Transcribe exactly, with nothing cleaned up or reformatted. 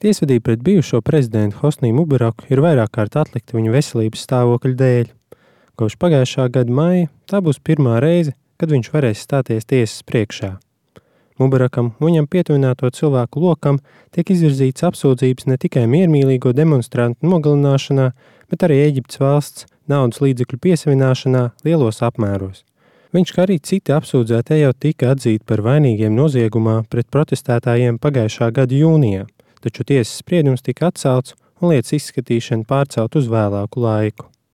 Tiesvedība pret bijušo prezidentu Hosnī Mubaraku ir vairāk kārt atlikta viņa veselības stāvokļa dēļ. Kopš pagājušā gada maija tā būs pirmā reize, kad viņš varēs stāties tiesas priekšā. Mubarakam un viņam pietuvināto cilvēku lokam tiek izvirzīts apsūdzības ne tikai miermīlīgo demonstrantu nogalināšanā, bet arī Ēģiptes valsts naudas līdzekļu piesavināšanā lielos apmēros. Viņš, kā arī citi apsūdzētie, jau tika atzīti par vainīgiem noziegumā pret protestētājiem pagājušā gada jūnijā, taču tiesas spriedums tika atcelts un lietas izskatīšana pārcelt uz vēlāku laiku.